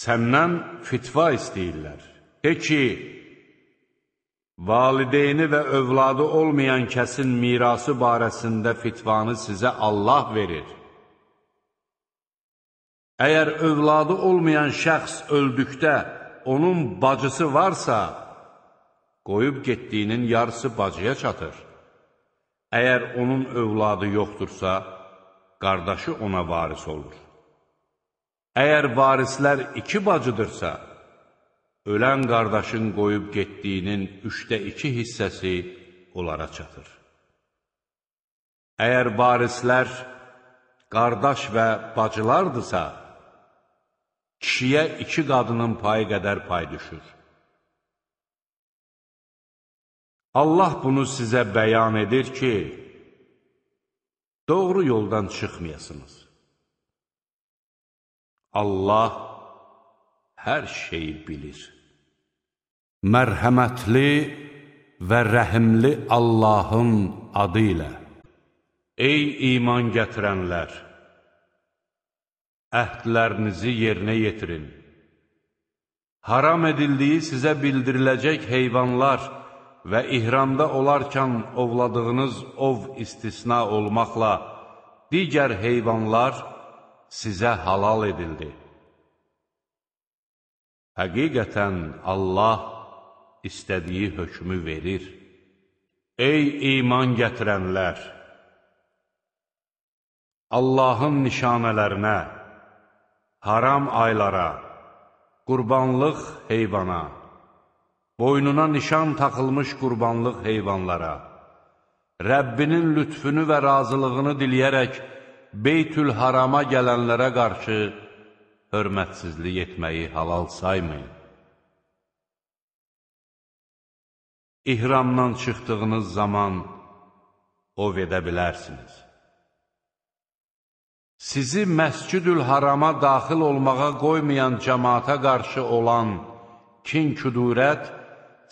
Səndən fitva istəyirlər. De ki, valideyni və övladı olmayan kəsin mirası barəsində fitvanı sizə Allah verir. Əgər övladı olmayan şəxs öldükdə onun bacısı varsa, qoyub getdiyinin yarısı bacıya çatır. Əgər onun övladı yoxdursa, qardaşı ona varis olur. Əgər varislər 2 bacıdırsa, ölən qardaşın qoyub getdiyinin 2/3 hissəsi onlara çatır. Əgər varislər qardaş və bacılardırsa, kişiyə 2 qadının payı qədər pay düşür. Allah bunu sizə bəyan edir ki, doğru yoldan çıxmayasınız. Allah hər şeyi bilir. Mərhəmətli və rəhimli Allahın adı ilə. Ey iman gətirənlər! Əhdlərinizi yerinə yetirin. Haram edildiyi sizə bildiriləcək heyvanlar və ihramda olarkən ovladığınız ov istisna olmaqla digər heyvanlar sizə halal edildi. Həqiqətən Allah istədiyi hökmü verir. Ey iman gətirənlər! Allahın nişanələrinə, haram aylara, qurbanlıq heyvana, boynuna nişan taxılmış qurbanlıq heyvanlara, Rəbbinin lütfünü və razılığını diləyərək Beytül-Harama gələnlərə qarşı hörmətsizlik etməyi halal saymayın. İhramdan çıxdığınız zaman ov edə bilərsiniz. Sizi Məscid-ül-Harama daxil olmağa qoymayan cəmaata qarşı olan kin-küdurət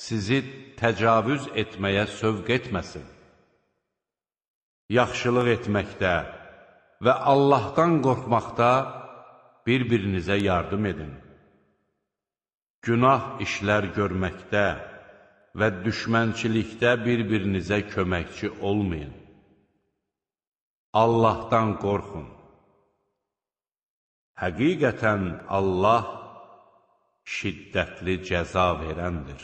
sizi təcavüz etməyə sövq etməsin. Yaxşılıq etməkdə və Allahdan qorxmaqda bir-birinizə yardım edin. Günah işlər görməkdə və düşmənçilikdə bir-birinizə köməkçi olmayın. Allahdan qorxun. Həqiqətən Allah şiddətli cəza verəndir.